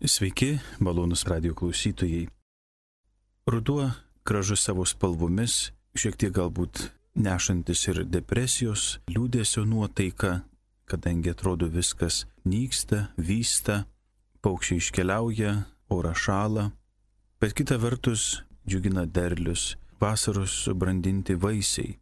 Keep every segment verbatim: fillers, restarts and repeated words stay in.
Sveiki, malonus radio klausytojai. Ruduo gražus savo spalvomis, šiek tiek galbūt nešantis ir depresijos, liūdėsio nuotaika, kadangi atrodo viskas nyksta, vysta, paukščiai iškeliauja, oras šąla, bet kita vertus džiugina derlius, vasaros subrandinti vaisiai.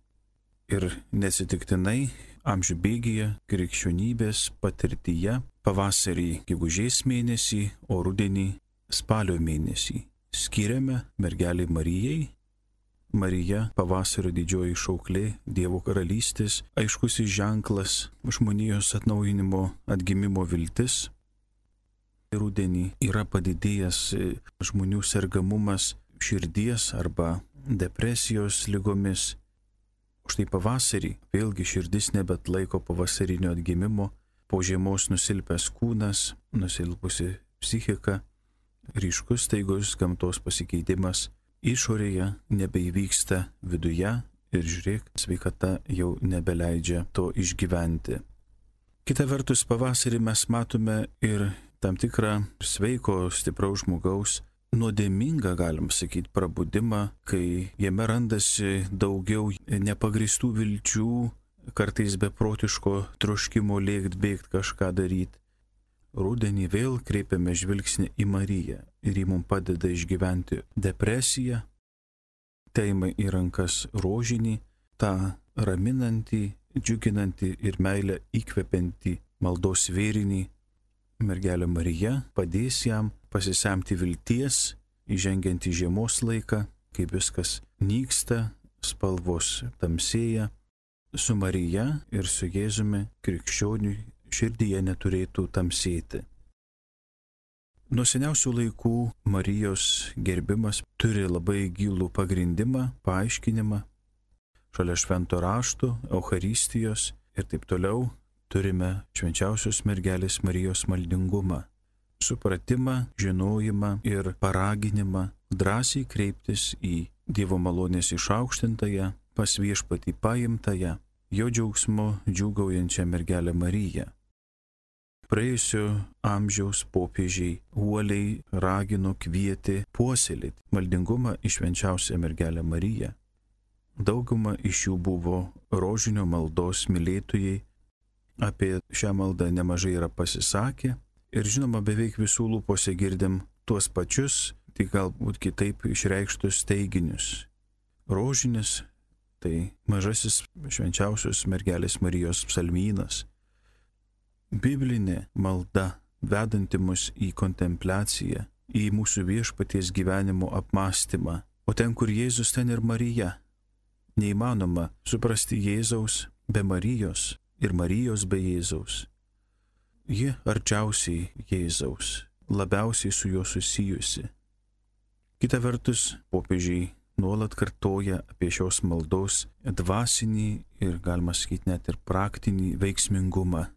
Ir neatsitiktinai amžių bėgyje, krikščionybės patirtyje, pavasarį gegužės mėnesį, o rudenį spalio mėnesį skiriame mergelei Marijai. Marija pavasario didžioji šauklė, Dievo karalystės, aiškusis ženklas, žmonijos atnaujinimo, atgimimo viltis. Rudenį yra padidėjęs žmonių sergamumas širdies arba depresijos ligomis. Štai pavasarį vėlgi širdis nebetlaiko pavasarinio atgimimo, po žiemos nusilpęs kūnas, nusilpusi psichika, ryškus staigus gamtos pasikeitimas, išorėje nebeįvyksta viduje ir žiūrėk, sveikata jau nebeleidžia to išgyventi. Kita vertus, pavasarį mes matome ir tam tikrą sveiko, stipraus žmogaus, nuodėmingą, galim sakyti, prabudimą, kai jame randasi daugiau nepagristų vilčių, kartais beprotiško troškimo lėkt, bėgt, kažką daryti. Rudenį vėl kreipiame žvilgsnį į Mariją ir ji mums padeda išgyventi depresiją, teima į rankas rožinį, tą raminantį, džiuginantį ir meilę įkvepiantį maldos vėrinį. Mergelė Marija padės jam pasisemti vilties, įžengiant į žiemos laiką, kai viskas nyksta, spalvos tamsėja. Su Marija ir su Jėzumi krikščioniui širdyje neturėtų tamsėti. Nuo seniausių laikų Marijos gerbimas turi labai gilų pagrindimą, paaiškinimą. Šalia švento rašto, Eucharistijos ir taip toliau turime švenčiausios mergelės Marijos maldingumą, supratimą, žinojimą ir paraginimą drąsiai kreiptis į Dievo malonės išaukštintąją, pas viešpatį paimtąją, jo džiaugsmu džiūgaujančią mergelę Mariją. Praėjusio amžiaus popiežiai uoliai ragino, kvietė puoselėti maldingumą į švenčiausią mergelę Mariją. Dauguma iš jų buvo rožinio maldos mylėtojai, apie šią maldą nemažai yra pasisakę ir žinoma beveik visų lūpose girdim tuos pačius, tik galbūt kitaip išreikštus teiginius. Rožinis tai mažasis švenčiausios mergelės Marijos psalmynas. Biblinė malda, vedanti mus į kontempliaciją, į mūsų viešpaties gyvenimo apmąstymą. O ten, kur Jėzus, ten ir Marija. Neįmanoma suprasti Jėzaus be Marijos ir Marijos be Jėzaus. Ji arčiausiai Jėzaus, labiausiai su juo susijusi. Kita vertus, popiežiai nuolat kartoja apie šios maldos dvasinį ir, galima sakyti, net ir praktinį veiksmingumą.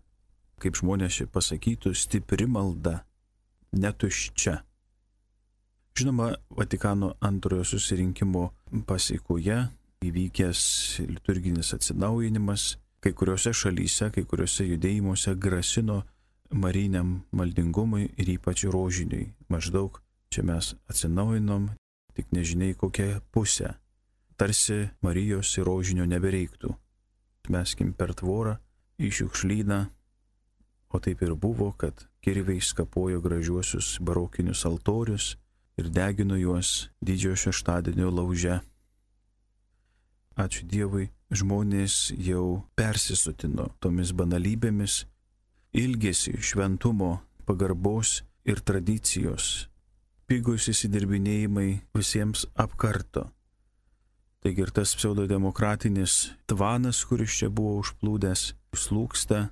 Kaip žmonės čia pasakytų, stipri malda, netuščia. Žinoma, Vatikano antrojo susirinkimo pasekoje įvykęs liturginis atsinaujinimas kai kuriuose šalyse, kai kuriuose judėjimuose grasino mariniam maldingumui ir ypač rožiniui. Maždaug čia mes atsinaujinom, tik nežinai kokią pusę. Tarsi Marijos ir rožinio nebereiktų. Meskim per tvorą į šiukšlyną, o taip ir buvo, kad kirviai skapojo gražiuosius barokinius altorius ir degino juos didžiojo šeštadienio lauže. Ačiū Dievui, žmonės jau persisotino tomis banalybėmis, ilgėsi šventumo, pagarbos ir tradicijos. Pigūs įsidirbinėjimai visiems apkarto. Taigi ir tas pseudodemokratinis tvanas, kuris čia buvo užplūdęs, slūgsta,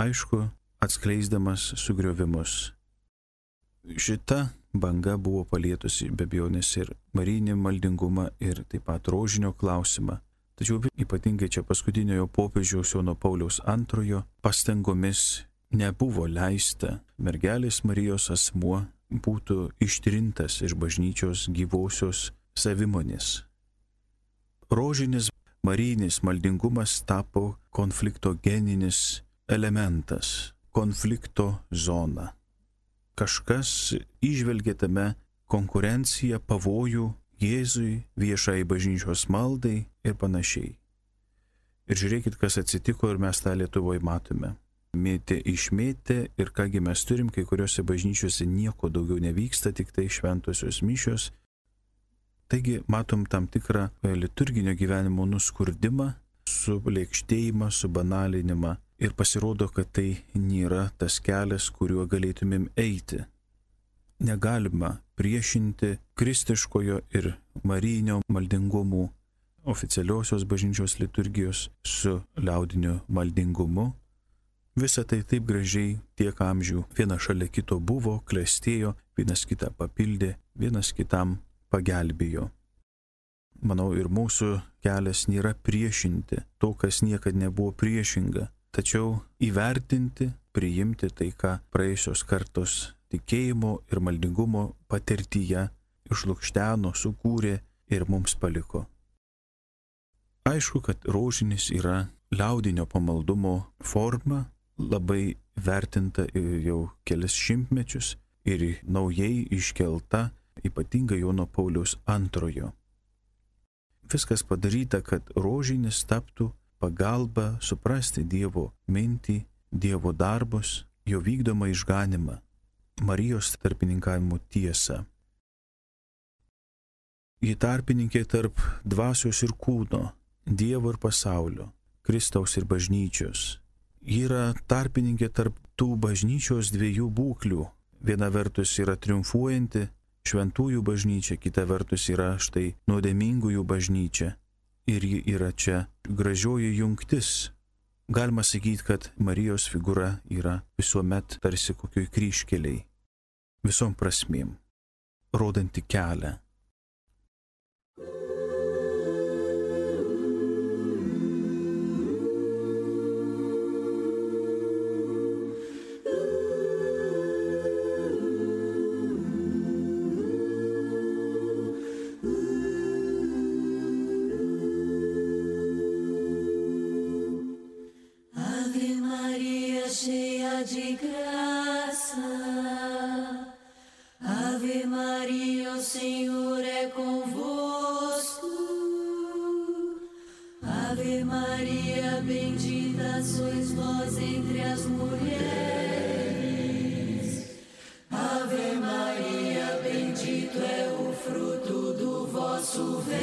aišku, atskleisdamas sugriovimus. Šita banga buvo palietusi be abejonės ir marinį maldingumą ir taip pat rožinio klausimą. Tačiau ypatingai čia paskutiniojo popiežiaus Jono Pauliaus antrojo pastangomis nebuvo leista mergelės Marijos asmuo būtų ištrintas iš bažnyčios gyvosios savimonės. Rožinis marijinis maldingumas tapo konfliktogeninis elementas, konflikto zona. kažkas įžvelgia tame konkurenciją, pavojų Jėzui, viešai bažnyčios maldai ir panašiai. Ir žiūrėkit, kas atsitiko ir mes tą Lietuvoje matome. Mėtė išmėtė ir kągi mes turim, kai kuriuose bažnyčiose nieko daugiau nevyksta, tik tai šventosios mišios. Taigi matom tam tikrą liturginio gyvenimo nuskurdimą, sublėkštėjimą, subanalinimą ir pasirodo, kad tai nėra tas kelias, kuriuo galėtumėm eiti. Negalima priešinti kristiškojo ir marijinio maldingumų, oficialiosios bažnyčios liturgijos su liaudiniu maldingumu. Visa tai taip gražiai tiek amžių viena šalia kito buvo, klestėjo, vienas kitą papildė, vienas kitam pagelbėjo. Manau, ir mūsų kelias nėra priešinti to, kas niekad nebuvo priešinga, tačiau įvertinti, priimti tai, ką praėjusios kartos tikėjimo ir maldingumo patirtyje išlukšteno, sukūrė ir mums paliko. Aišku, kad rožinis yra liaudinio pamaldumo forma, labai vertinta jau kelis šimtmečius ir naujai iškelta, ypatingai Jono Pauliaus antrojo. Viskas padaryta, kad rožinis taptų pagalba suprasti Dievo mintį, Dievo darbus, jo vykdomą išganimą, Marijos tarpininkavimo tiesą. Ji tarpininkė tarp dvasios ir kūno, Dievo ir pasaulio, Kristaus ir bažnyčios. Ji yra tarpininkė tarp tų bažnyčios dviejų būklių. Viena vertus yra triumfuojanti šventųjų bažnyčia, kita vertus yra štai nuodėmingųjų bažnyčia. Ir ji yra čia gražioji jungtis. Galima sakyti, kad Marijos figūra yra visuomet tarsi kokioj kryžkeliai, visom prasmėm, rodanti kelią. De graça, Ave Maria, o Senhor é convosco. Ave Maria, bendita sois vós entre as mulheres. Ave Maria, bendito é o fruto do vosso ventre.